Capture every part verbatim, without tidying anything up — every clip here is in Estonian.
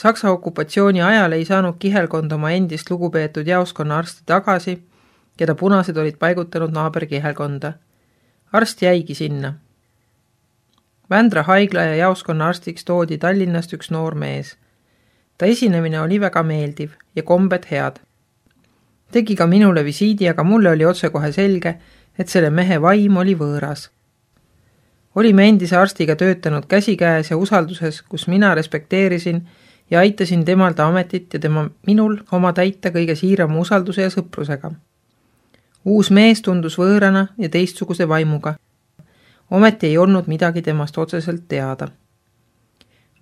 Saksa okupatsiooni ajal ei saanud kihelkond oma endist lugupeetud jaoskonna arsti tagasi, keda punased olid paigutanud naaberkihelkonda. Arst jäigi sinna. Vändra haigla ja jaoskonna arstiks toodi Tallinnast üks noor mees. Ta esinemine oli väga meeldiv ja kombed head. Tegi ka minule visiidi, aga mulle oli otsekohe selge, et selle mehe vaim oli võõras. Olime endise arstiga töötanud käsikäes ja usalduses, kus mina respekteerisin ja aitasin temalda ametit ja tema minul oma täita kõige siirama usalduse ja sõprusega. Uus mees tundus võõrana ja teistsuguse vaimuga. Ometi ei olnud midagi temast otseselt teada.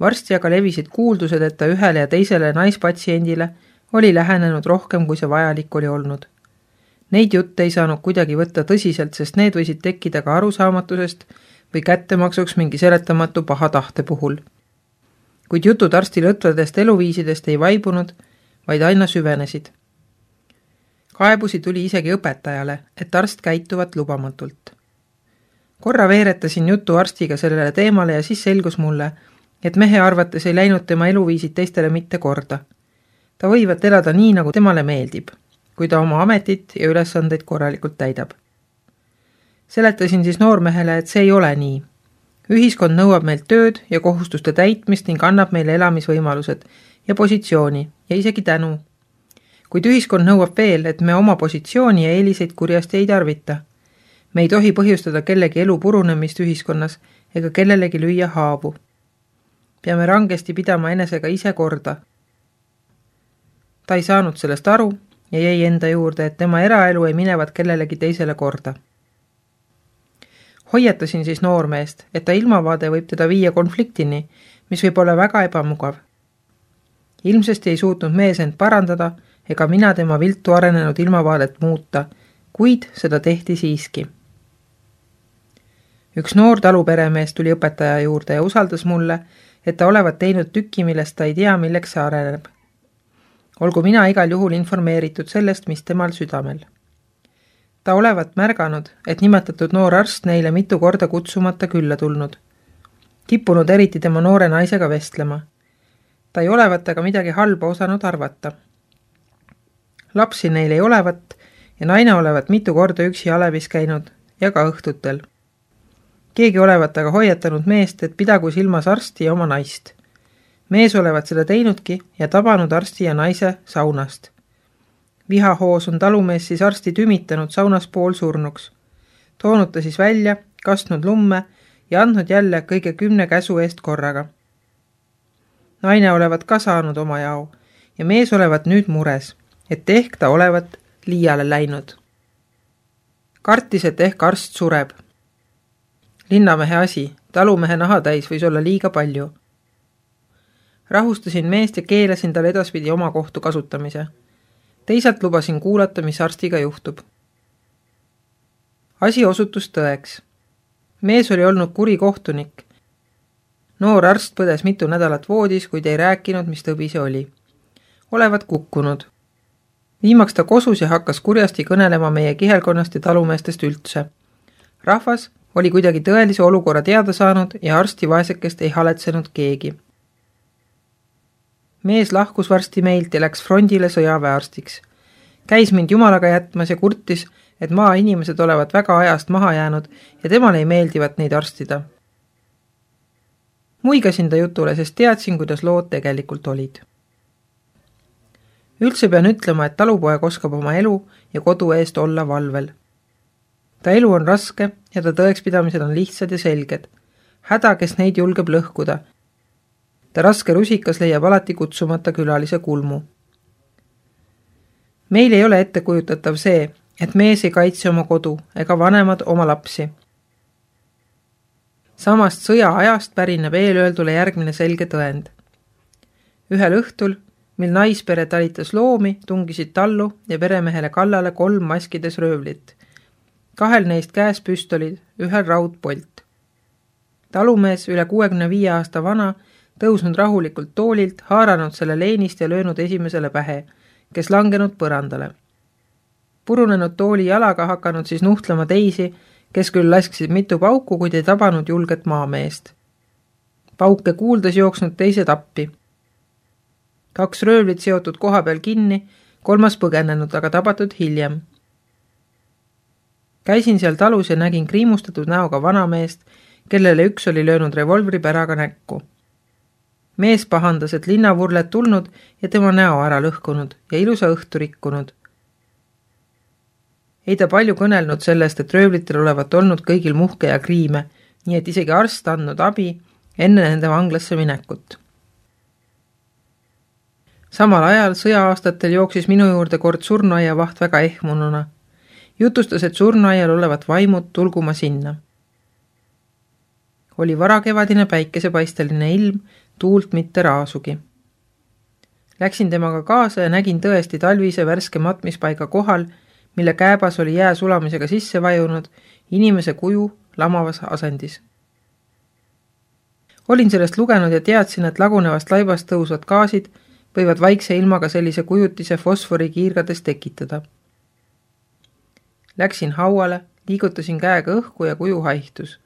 Varsti aga levisid kuuldused, et ta ühele ja teisele naispatsiendile oli lähenenud rohkem, kui see vajalik oli olnud. Neid jutte ei saanud kuidagi võtta tõsiselt, sest need võisid tekkida ka arusaamatusest või kättemaksuks mingi seletamatu paha tahte puhul. Kuid jutud arsti lõtvadest eluviisidest ei vaibunud, vaid aina süvenesid. Kaebusi tuli isegi õpetajale, et arst käituvat lubamatult. Korra veeretasin jutu arstiga sellele teemale ja siis selgus mulle, et mehe arvates ei läinud tema eluviisid teistele mitte korda. Ta võivad elada nii, nagu temale meeldib, kui ta oma ametit ja ülesandeid korralikult täidab. Seletasin siis noormehele, et see ei ole nii. Ühiskond nõuab meilt tööd ja kohustuste täitmist ning annab meile elamisvõimalused ja positsiooni ja isegi tänu. Kuid ühiskond nõuab veel, et me oma positsiooni ja eeliseid kurjasti ei tarvita. Me ei tohi põhjustada kellegi elu purunemist ühiskonnas ega kellelegi lüüa haavu. Peame rangesti pidama enesega ise korda. Ta ei saanud sellest aru ja jäi enda juurde, et tema eraelu ei minevat kellelegi teisele korda. Hoiatasin siis noormeest, et ta ilmavaade võib teda viia konfliktini, mis võib olla väga ebamugav. Ilmsesti ei suutnud mees end parandada ega mina tema viltu arenenud ilmavaadet muuta, kuid seda tehti siiski. Üks noor taluperemees tuli õpetaja juurde ja usaldas mulle, et ta olevat teinud tüki, millest ta ei tea, milleks see areneb. Olgu mina igal juhul informeeritud sellest, mis temal südamel. Ta olevat märganud, et nimetatud noor arst neile mitu korda kutsumata külla tulnud. Kippunud eriti tema noore naisega vestlema. Ta ei olevat aga midagi halba osanud arvata. Lapsi neil ei olevat ja naine olevat mitu korda üksi alevis käinud ja ka õhtutel. Keegi olevat aga hoiatanud meest, et pidagu silmas arsti ja oma naist. Mees olevat seda teinudki ja tabanud arsti ja naise saunast. Vihahoos on talumees siis arsti tümitanud saunas pool surnuks. Toonud ta siis välja, kastnud lumme ja andnud jälle kõige kümne käsu eest korraga. Naine olevat ka saanud oma jao ja mees olevat nüüd mures, et ehk ta olevat liiale läinud. Kartis, et ehk arst sureb. Linnamehe asi, talumehe nahatäis võis olla liiga palju. Rahustasin meest ja keelasin tal edaspidi oma kohtu kasutamise. Teisalt lubasin kuulata, mis arstiga juhtub. Asi osutus tõeks. Mees oli olnud kuri kohtunik. Noor arst põdes mitu nädalat voodis, kuid ei rääkinud, mis tõbi see oli. Olevat kukkunud. Viimaks ta kosus ja hakkas kurjasti kõnelema meie kihelkonnast ja talumeestest üldse. Rahvas oli kuidagi tõelise olukorra teada saanud ja arsti vaesekest ei haletsenud keegi. Mees lahkus varsti meilt ja läks frondile sõjaväearstiks. Käis mind jumalaga jätmas ja kurtis, et maa inimesed olevat väga ajast maha jäänud ja temale ei meeldivat neid arstida. Muigasin ta jutule, sest teadsin, kuidas lood tegelikult olid. Üldse pean ütlema, et talupoeg oskab oma elu ja kodu eest olla valvel. Ta elu on raske ja ta tõekspidamised on lihtsad ja selged. Häda, kes neid julgeb lõhkuda. Ta raske rusikas leiab alati kutsumata külalise kulmu. Meil ei ole ettekujutatav see, et mees ei kaitse oma kodu ega vanemad oma lapsi. Samast sõja ajast pärineb eelööldule järgmine selge tõend. Ühel õhtul, mil naispere talitas loomi, tungisid tallu ja peremehele kallale kolm maskides röövlit. Kahel neist käes püstolid, ühel raudpolt. Talumees, üle kuuekümne viie aasta vana, tõusnud rahulikult toolilt, haaranud selle leenist ja löönud esimesele pähe, kes langenud põrandale. Purunenud tooli jalaga hakanud siis nuhtlema teisi, kes küll lasksid mitu pauku, kuid ei tabanud julget maameest. Pauke kuuldes jooksnud teised appi. Kaks röövlit seotud koha peal kinni, kolmas põgenenud, aga tabatud hiljem. Käisin seal talus ja nägin kriimustatud näoga vanameest, kellele üks oli löönud revolvri päraga näkku. Mees pahandas, et linnavurled tulnud ja tema näo ära lõhkunud ja ilusa õhtu rikkunud. Ei ta palju kõnelnud sellest, et röövlitel olevat olnud kõigil muhke ja kriime, nii et isegi arst andnud abi enne nende vanglasse minekut. Samal ajal sõja-aastatel jooksis minu juurde kord surnuaia vaht väga ehmununa. Jutustas, et surnuaial olevat vaimud tulguma sinna. Oli varakevadine päikesepaisteline ilm, tuult mitte raasugi. Läksin temaga kaasa ja nägin tõesti talvise värske matmispaiga kohal, mille kääbas oli jää sulamisega sisse vajunud, inimese kuju lamavas asendis. Olin sellest lugenud ja teadsin, et lagunevast laibast tõusvad gaasid võivad vaikse ilmaga sellise kujutise fosfori kiirgades tekitada. Läksin hauale, liigutasin käega õhku ja kuju haihtus.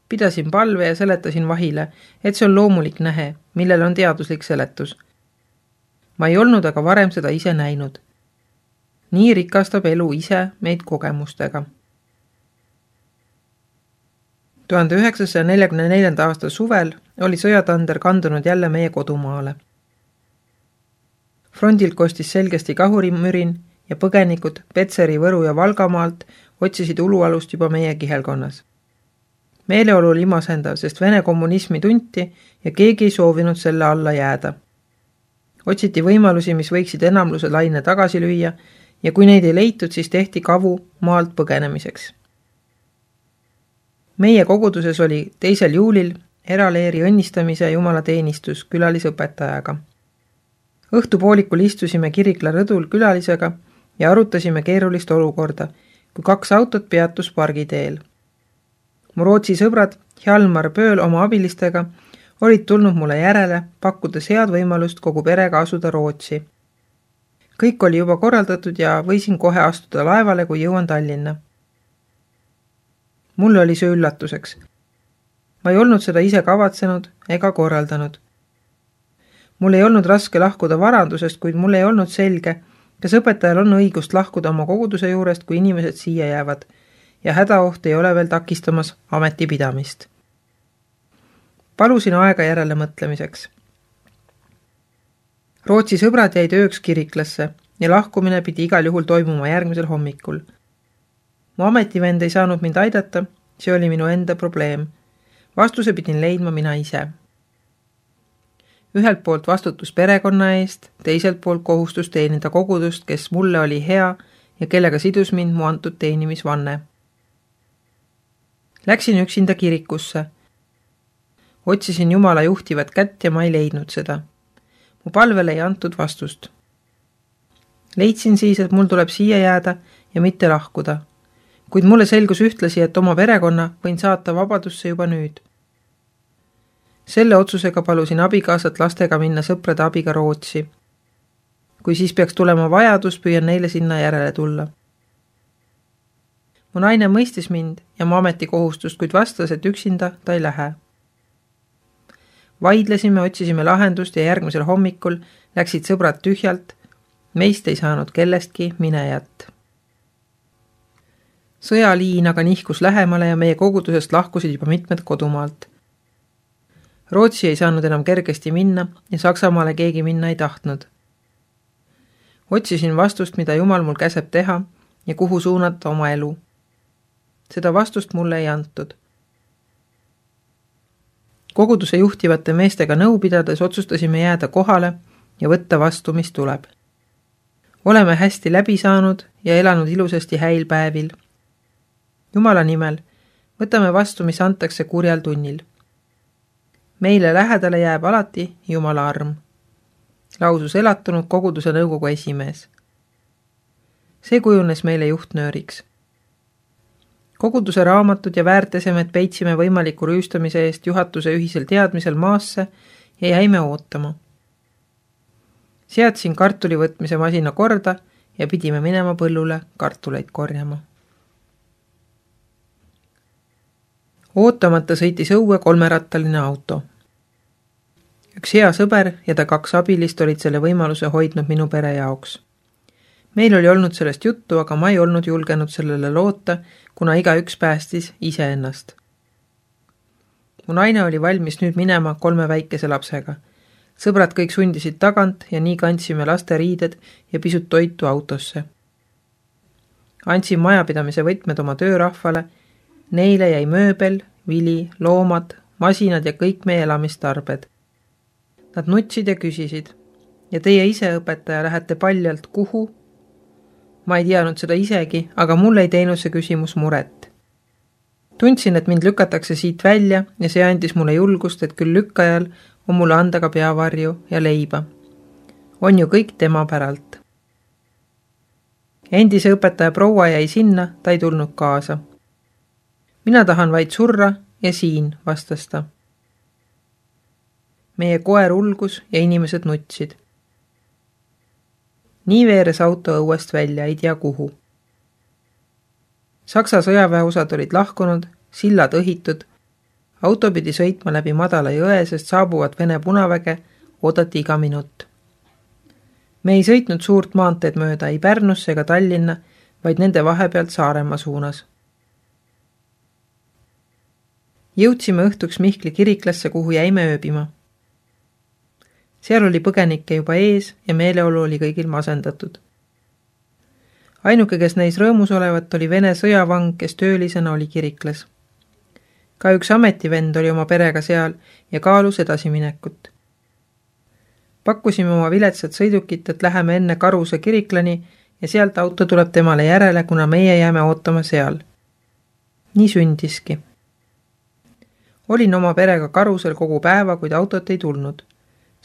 Pidasin palve ja seletasin vahile, et see on loomulik nähe, millel on teaduslik seletus. Ma ei olnud aga varem seda ise näinud. Nii rikastab elu ise meid kogemustega. tuhande üheksasaja neljakümne neljanda aasta suvel oli sõjatander kandunud jälle meie kodumaale. Frondilt kostis selgesti kahurimürin ja põgenikud Petseri, Võru ja Valgamaalt otsisid ulualust juba meie kihelkonnas. Meeleolu oli imasendav, sest Vene kommunismi tunti ja keegi ei soovinud selle alla jääda. Otsiti võimalusi, mis võiksid enamluse laine tagasi lüüa ja kui neid ei leitud, siis tehti kavu maalt põgenemiseks. Meie koguduses oli teisel juulil eraleeri õnnistamise jumalateenistus külalisõpetajaga. Õhtupoolikul istusime Kirikla rõdul külalisega ja arutasime keerulist olukorda, kui kaks autot peatus pargiteel. Mu Rootsi sõbrad Hjalmar Pööl oma abilistega olid tulnud mulle järele, pakkudes head võimalust kogu perega asuda Rootsi. Kõik oli juba korraldatud ja võisin kohe astuda laevale, kui jõuan Tallinna. Mulle oli see üllatuseks. Ma ei olnud seda ise kavatsenud ega korraldanud. Mul ei olnud raske lahkuda varandusest, kuid mul ei olnud selge, kas õpetajal on õigust lahkuda oma koguduse juurest, kui inimesed siia jäävad ja hädaoht ei ole veel takistamas ametipidamist. Palusin aega järele mõtlemiseks. Rootsi sõbrad jäid ööks Kiriklasse ja lahkumine pidi igal juhul toimuma järgmisel hommikul. Mu ametivend ei saanud mind aidata, see oli minu enda probleem. Vastuse pidin leidma mina ise. Ühelt poolt vastutus perekonna eest, teiselt poolt kohustus teenida kogudust, kes mulle oli hea ja kellega sidus mind mu antud teenimisvanne. Läksin üksinda kirikusse. Otsisin Jumala juhtivat kätt ja ma ei leidnud seda. Mu palvele ei antud vastust. Leidsin siis, et mul tuleb siia jääda ja mitte lahkuda. Kuid mulle selgus ühtlasi, et oma perekonna võin saata vabadusse juba nüüd. Selle otsusega palusin abikaasat lastega minna sõprade abiga Rootsi. Kui siis peaks tulema vajadus, püüan neile sinna järele tulla. Mu naine mõistis mind ja mu ametikohustust, kuid vastas, et üksinda ta ei lähe. Vaidlesime, otsisime lahendust ja järgmisel hommikul läksid sõbrad tühjalt. Meist ei saanud kellestki minejat. Sõjaliin aga nihkus lähemale ja meie kogudusest lahkusid juba mitmed kodumaalt. Rootsi ei saanud enam kergesti minna ja Saksamaale keegi minna ei tahtnud. Otsisin vastust, mida Jumal mul käseb teha ja kuhu suunata oma elu. Seda vastust mulle ei antud. Koguduse juhtivate meestega nõu pidades otsustasime jääda kohale ja võtta vastu, mis tuleb. Oleme hästi läbi saanud ja elanud ilusasti häil päevil. Jumala nimel, võtame vastu, mis antakse kurjal tunnil. Meile lähedale jääb alati Jumala arm. Lausus elatunud koguduse nõukogu esimees. See kujunes meile juhtnööriks. Koguduse raamatud ja väärtesemed peitsime võimaliku rüüstamise eest juhatuse ühisel teadmisel maasse ja jäime ootama. Seadsin kartuli võtmise masina korda ja pidime minema põllule kartuleid korjama. Ootamata sõitis õue kolmerattaline auto. Üks hea sõber ja ta kaks abilist olid selle võimaluse hoidnud minu pere jaoks. Meil oli olnud sellest juttu, aga ma ei olnud julgenud sellele loota, kuna iga üks päästis iseennast. Mu naine oli valmis nüüd minema kolme väikese lapsega. Sõbrad kõik sundisid tagant ja nii kandsime laste riided ja pisut toitu autosse. Andsin majapidamise võtmed oma töörahvale, neile jäi mööbel, vili, loomad, masinad ja kõik meie elamistarbed. Nad nutsid ja küsisid, ja teie ise, õpetaja, lähete paljalt kuhu? Ma ei teadnud seda isegi, aga mulle ei teinud see küsimus muret. Tundsin, et mind lükatakse siit välja ja see andis mulle julgust, et küll lükkajal on mulle anda ka peavarju ja leiba. On ju kõik tema päralt. Endise õpetaja proua jäi sinna, ta ei tulnud kaasa. Mina tahan vaid surra ja siin, vastas ta. Meie koer ulgus ja inimesed nutsid. Nii veeres auto õuest välja, ei tea kuhu. Saksa sõjaväeosad olid lahkunud, sillad õhitud, auto pidi sõitma läbi madala jõe, sest saabuvad Vene punaväge, oodati iga minut. Me ei sõitnud suurt maanteed mööda ei Pärnusse ega Tallinna, vaid nende vahepealt Saaremaa suunas. Jõudsime õhtuks Mihkli kiriklasse, kuhu jäime ööbima. Seal oli põgenikke juba ees ja meeleolu oli kõigil masendatud. Ainuke, kes neis rõõmus olevat, oli Vene sõjavang, kes töölisena oli kiriklas. Ka üks ametivend oli oma perega seal ja kaalus edasiminekut. Pakkusime oma viletsat sõidukit, et läheme enne Karuse kiriklani ja sealt auto tuleb temale järele, kuna meie jääme ootama seal. Nii sündiski. Olin oma perega Karusel kogu päeva, kuid autot ei tulnud.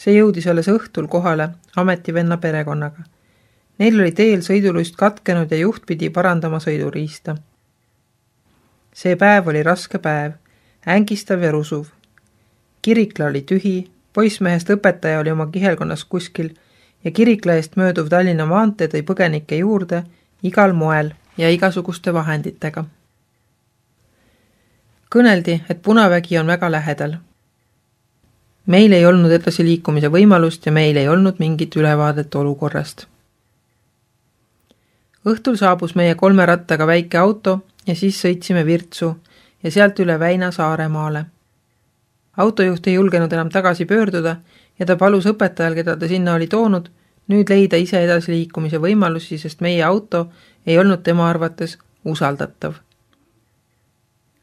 See jõudis alles õhtul kohale ametivenna perekonnaga. Neil oli teel sõiduluist katkenud ja juht pidi parandama sõiduriista. See päev oli raske päev, ängistav ja rusuv. Kirikla oli tühi, poissmehest õpetaja oli oma kihelkonnas kuskil ja kirikla eest mööduv Tallinna maantee tõi põgenike juurde igal moel ja igasuguste vahenditega. Kõneldi, et punavägi on väga lähedal. Meil ei olnud edasi liikumise võimalust ja meil ei olnud mingit ülevaadet olukorrast. Õhtul saabus meie kolme rattaga väike auto ja siis sõitsime Virtsu ja sealt üle Väina Saaremaale. Autojuht ei julgenud enam tagasi pöörduda ja ta palus õpetajal, keda ta sinna oli toonud, nüüd leida ise edasi liikumise võimalusi, sest meie auto ei olnud tema arvates usaldatav.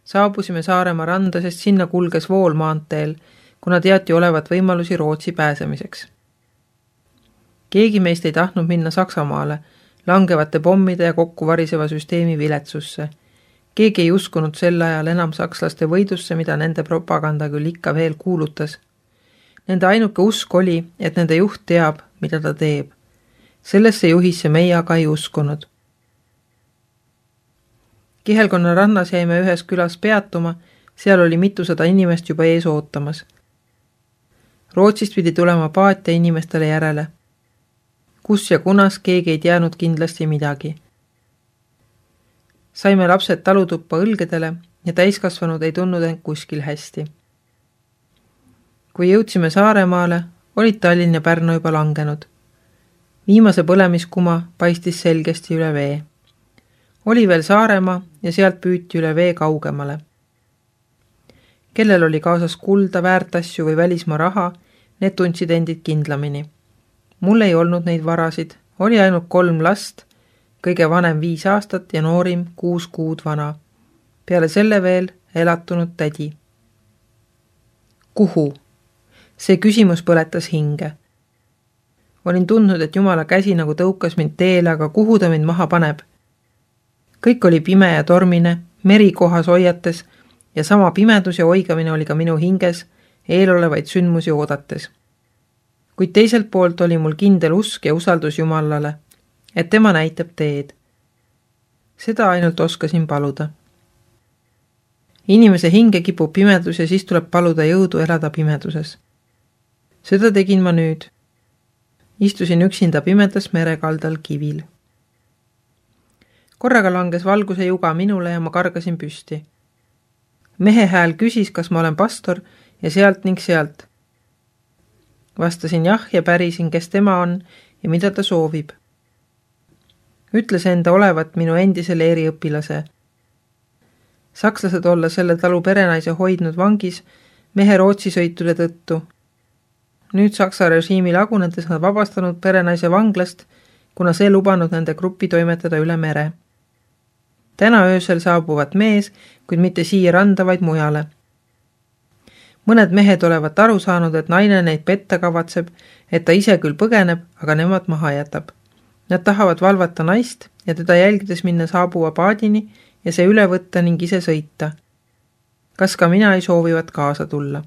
Saabusime Saaremaa randa, sest sinna kulges vool maanteel, kuna teati olevat võimalusi Rootsi pääsemiseks. Keegi meist ei tahtnud minna Saksamaale, langevate pommide ja kokkuvariseva süsteemi viletsusse. Keegi ei uskunud sel ajal enam sakslaste võidusse, mida nende propaganda küll ikka veel kuulutas. Nende ainuke usk oli, et nende juht teab, mida ta teeb. Sellesse juhisse meie aga ei uskunud. Kihelkonna rannas jäime ühes külas peatuma, seal oli mitusada inimest juba ees ootamas. Rootsist pidi tulema paat ja inimestele järele. Kus ja kunas keegi ei teadnud kindlasti midagi. Saime lapsed talutuppa õlgedele ja täiskasvanud ei tundnud end kuskil hästi. Kui jõudsime Saaremaale, olid Tallinn ja Pärnu juba langenud. Viimase põlemiskuma paistis selgesti üle vee. Oli veel Saaremaa ja sealt püüti üle vee kaugemale. Kellel oli kaasas kulda, väärtasju või välismaa raha, need tundsid endid kindlamini. Mul ei olnud neid varasid, oli ainult kolm last, kõige vanem viis aastat ja noorim kuus kuud vana. Peale selle veel elatunud tädi. Kuhu? See küsimus põletas hinge. Olin tundnud, et Jumala käsi nagu tõukas mind teele, aga kuhu ta mind maha paneb? Kõik oli pime ja tormine, meri kohas hoiates ja sama pimedus ja oigamine oli ka minu hinges, eelolevaid sündmusi oodates. Kuid teiselt poolt oli mul kindel usk ja usaldus Jumalale, et tema näitab teed. Seda ainult oskasin paluda. Inimese hinge kipub pimedus ja siis tuleb paluda jõudu elada pimeduses. Seda tegin ma nüüd. Istusin üksinda pimedas merekaldal kivil. Korraga langes valguse juga minule ja ma kargasin püsti. Mehe hääl küsis, kas ma olen pastor ja sealt ning sealt. Vastasin jah ja pärisin, kes tema on ja mida ta soovib. Ütles enda olevat minu endisele eriõpilase. Sakslased olla selle talu perenaise hoidnud vangis mehe Rootsi sõitude tõttu. Nüüd Saksa režiimi lagunedes nad vabastanud perenaise vanglast, kuna see lubanud nende gruppi toimetada üle mere. Täna öösel saabuvad mees, kuid mitte siia randa, vaid mujale. Mõned mehed olevat aru saanud, et naine neid petta kavatseb, et ta ise küll põgeneb, aga nemad maha jätab. Nad tahavad valvata naist ja teda jälgides minna saabuva paadini ja see üle võtta ning ise sõita. Kas ka mina ei soovivat kaasa tulla?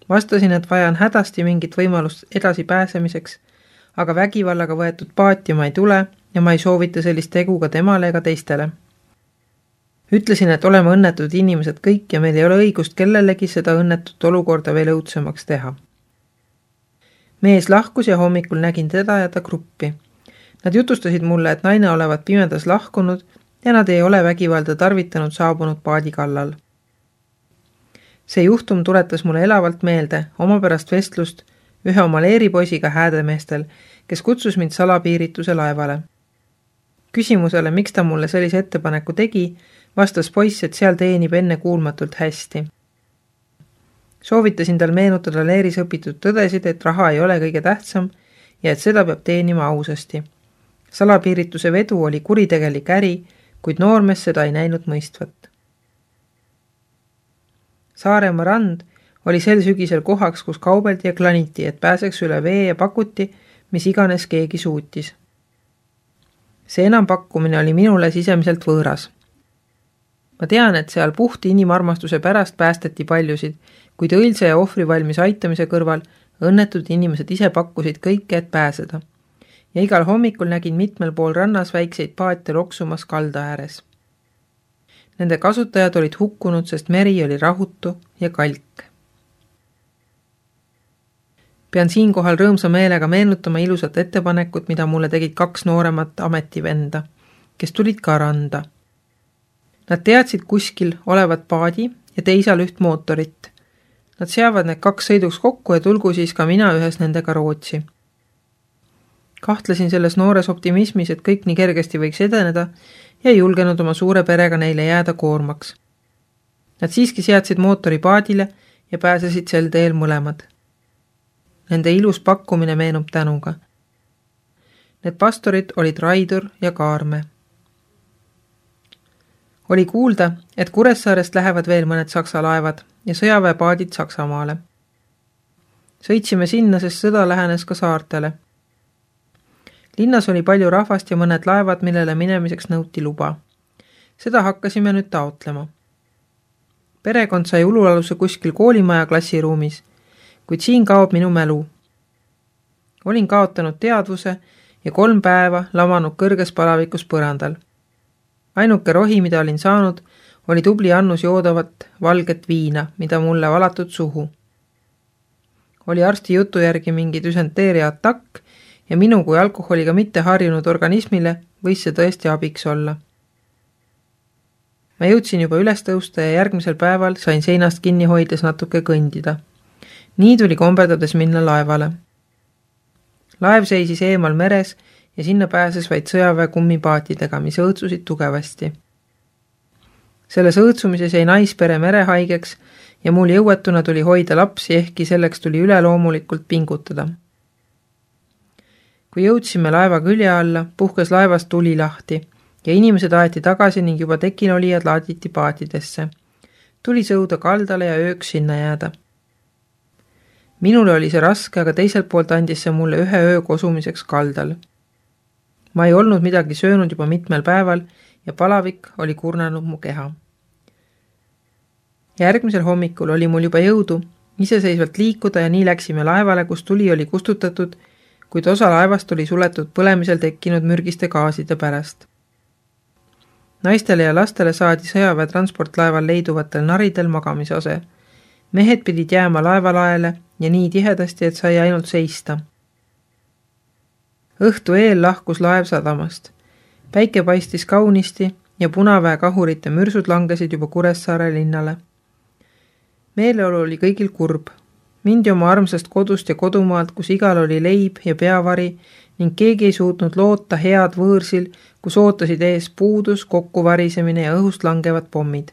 Vastasin, et vajan hädasti mingit võimalust edasi pääsemiseks, aga vägivallaga võetud paati ma ei tule ja ma ei soovita sellist tegu ka temale ega teistele. Ütlesin, et oleme õnnetud inimesed kõik ja meil ei ole õigust kellelegi seda õnnetut olukorda veel õudsemaks teha. Mees lahkus ja hommikul nägin teda ja ta gruppi. Nad jutustasid mulle, et naine olevat pimedas lahkunud ja nad ei ole vägivalda tarvitanud saabunud paadi kallal. See juhtum tuletas mulle elavalt meelde oma pärast vestlust ühe oma leeripoisiga häädemeestel, kes kutsus mind salapiirituse laevale. Küsimusele, miks ta mulle sellise ettepaneku tegi, vastas poiss, et seal teenib enne kuulmatult hästi. Soovitasin tal meenutada leeris õpitud tõdesid, et raha ei ole kõige tähtsam ja et seda peab teenima ausasti. Salapiirituse vedu oli kuritegelik äri, kuid noormees seda ei näinud mõistvat. Saaremaa rand oli sel sügisel kohaks, kus kaubeldi ja klaniti, et pääseks üle vee ja pakuti, mis iganes keegi suutis. See enampakkumine oli minule sisemiselt võõras. Ma tean, et seal puhti inimarmastuse pärast päästeti paljusid, kuid õilse ja ohvri valmis aitamise kõrval õnnetud inimesed ise pakkusid kõike, et pääseda. Ja igal hommikul nägin mitmel pool rannas väikseid paate loksumas kalda ääres. Nende kasutajad olid hukkunud, sest meri oli rahutu ja kalk. Pean siinkohal rõõmsa meelega meenutama ilusat ettepanekut, mida mulle tegid kaks nooremat ametivenda, kes tulid ka randa. Nad teadsid kuskil olevat paadi ja teisal üht mootorit. Nad seavad need kaks sõiduks kokku ja tulgu siis ka mina ühes nendega Rootsi. Kahtlesin selles noores optimismis, et kõik nii kergesti võiks edeneda ja ei julgenud oma suure perega neile jääda koormaks. Nad siiski seadsid mootori paadile ja pääsesid sel teel mõlemad. Nende ilus pakkumine meenub tänuga. Need pastorid olid Raidur ja Kaarme. Oli kuulda, et Kuressaarest lähevad veel mõned saksa laevad ja sõjaväepaadid Saksamaale. Sõitsime sinna, sest sõda lähenes ka saartele. Linnas oli palju rahvast ja mõned laevad, millele minemiseks nõuti luba. Seda hakkasime nüüd taotlema. Perekond sai ulualuse kuskil koolimaja klassiruumis, kuid siin kaob minu mälu. Olin kaotanud teadvuse ja kolm päeva lamanud kõrges palavikus põrandal. Ainuke rohi, mida olin saanud, oli tubli annus joodavat valget viina, mida mulle valatud suhu. Oli arsti jutu järgi mingi düsenteeria atakk ja minu kui alkoholiga mitte harjunud organismile võis see tõesti abiks olla. Ma jõudsin juba üles tõusta ja järgmisel päeval sain seinast kinni hoides natuke kõndida. Nii tuli komberdades minna laevale. Laev seisis eemal meres ja sinna pääses vaid sõjaväe kummipaatidega, mis õõtsusid tugevasti. Selles õõtsumises jäi naispere merehaigeks ja mul jõuetuna tuli hoida lapsi, ehkki selleks tuli üleloomulikult pingutada. Kui jõudsime laeva külje alla, puhkes laevast tuli lahti ja inimesed aeti tagasi ning juba tekinolijad laaditi paatidesse. Tuli sõuda kaldale ja ööks sinna jääda. Minule oli see raske, aga teiselt poolt andis see mulle ühe öö kosumiseks kaldal. Ma ei olnud midagi söönud juba mitmel päeval ja palavik oli kurnanud mu keha. Järgmisel hommikul oli mul juba jõudu iseseisvalt liikuda ja nii läksime laevale, kus tuli oli kustutatud, kuid osa laevast oli suletud põlemisel tekkinud mürgiste gaaside pärast. Naistele ja lastele saadi sõjaväe transportlaeval leiduvatel naridel magamisose. Mehed pidid jääma laevalaele ja nii tihedasti, et sai ainult seista. Õhtu eel lahkus laev sadamast. Päike paistis kaunisti ja punaväe kahurite mürsud langesid juba Kuressaare linnale. Meeleolu oli kõigil kurb. Mindi oma armsast kodust ja kodumaalt, kus igal oli leib ja peavari ning keegi ei suutnud loota head võõrsil, kus ootasid ees puudus, kokkuvarisemine ja õhust langevad pommid.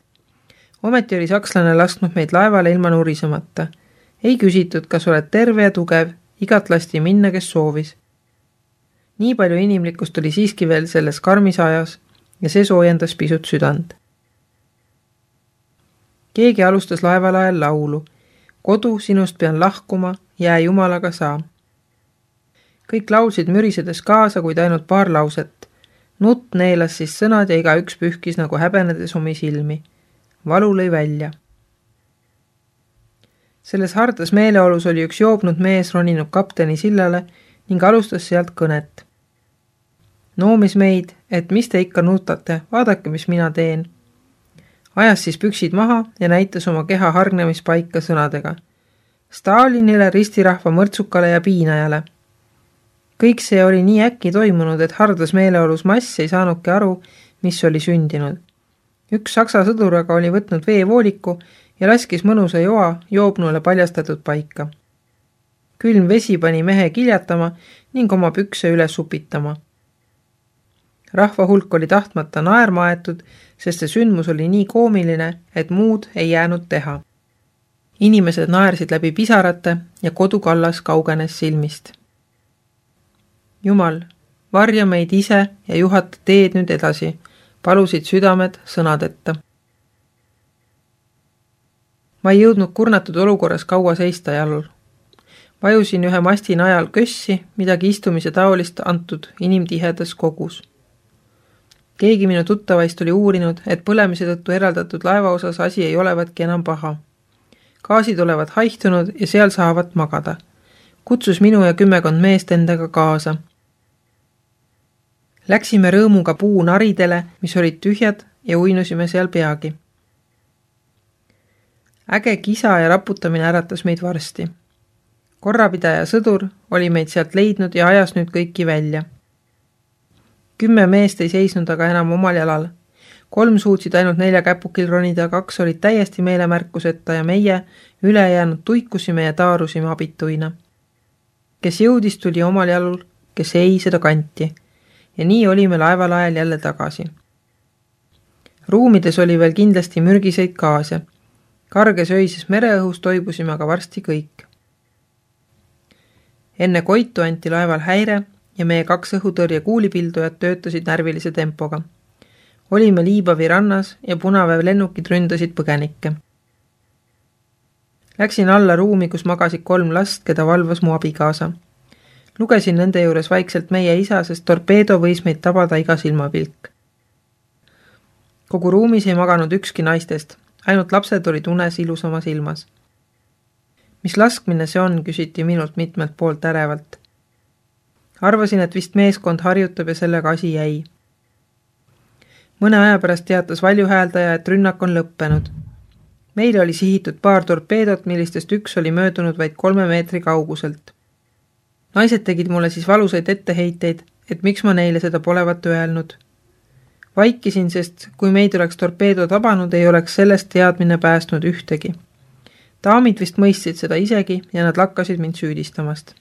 Ometi oli sakslane lasknud meid laevale ilma nurisemata. Ei küsitud, kas oled terve ja tugev, igat lasti minna, kes soovis. Nii palju inimlikkust oli siiski veel selles karmis ajas ja see soojendas pisut südant. Keegi alustas laeval ajal laulu. Kodu, sinust pean lahkuma, jää jumalaga saa. Kõik laulsid mürisedes kaasa, kuid ainult paar lauset. Nutt neelas siis sõnad ja iga üks pühkis nagu häbenedes omi silmi. Valu lõi välja. Selles hardas meeleolus oli üks joobnud mees roninud kapteni sillale ning alustas sealt kõnet. Noomis meid, et mis te ikka nutate, vaadake, mis mina teen. Ajas siis püksid maha ja näitas oma keha hargnemispaika sõnadega. Stalinile, ristirahva mõrtsukale ja piinajale. Kõik see oli nii äkki toimunud, et hardas meeleolus mass ei saanudki aru, mis oli sündinud. Üks saksa sõdur aga oli võtnud veevooliku ja laskis mõnusa joa joobnule paljastatud paika. Külm vesi pani mehe kiljatama ning oma pükse üle supitama. Rahva hulk oli tahtmata naerma aetud, sest see sündmus oli nii koomiline, et muud ei jäänud teha. Inimesed naersid läbi pisarate ja kodukallas kaugenes silmist. Jumal, varja meid ise ja juhata teed nüüd edasi, palusid südamed sõnadeta. Ma ei jõudnud kurnatud olukorras kaua seista jalul. Vajusin ühe masti najal kössi, midagi istumise taolist antud inimtihedas kogus. Keegi minu tuttavaist oli uurinud, et põlemise tõttu eraldatud laeva osas asi ei olevatki enam paha. Gaasid olevat haihtunud ja seal saavad magada. Kutsus minu ja kümmekond meest endaga kaasa. Läksime rõõmuga puu naridele, mis olid tühjad ja uinusime seal peagi. Äge kisa ja raputamine äratas meid varsti. Korrapidaja sõdur oli meid sealt leidnud ja ajas nüüd kõiki välja. Kümme meest ei seisnud aga enam omal jalal. Kolm suutsid ainult nelja käpukil ronida, kaks olid täiesti meelemärkuseta ja meie ülejäänud tuikusime ja taarusime abituina. Kes jõudis, tuli omal jalul, kes ei, seda kanti. Ja nii olime laeval ajal jälle tagasi. Ruumides oli veel kindlasti mürgiseid gaase. Karges öises mereõhus toibusime aga varsti kõik. Enne koitu anti laeval häire ja meie kaks õhutõrje kuulipildujad töötasid närvilise tempoga. Olime Liibavi rannas ja punaväev lennukid ründasid põgenikke. Läksin alla ruumi, kus magasid kolm last, keda valvas mu abikaasa. Lugesin nende juures vaikselt meie isa, sest torpeedo võis meid tabada iga silmapilk. Kogu ruumis ei maganud ükski naistest, ainult lapsed olid unes ilusamas ilmas. Mis laskmine see on, küsiti minult mitmelt poolt ärevalt. Arvasin, et vist meeskond harjutab ja sellega asi jäi. Mõne aja pärast teatas valjuhääldaja, et rünnak on lõppenud. Meile oli sihitud paar torpeedot, millistest üks oli möödunud vaid kolme meetri kauguselt. Naised tegid mulle siis valusaid etteheiteid, et miks ma neile seda polevat öelnud. Vaikisin, sest kui meid oleks torpeedo tabanud, ei oleks sellest teadmine päästnud ühtegi. Daamid vist mõistsid seda isegi ja nad lakkasid mind süüdistamast.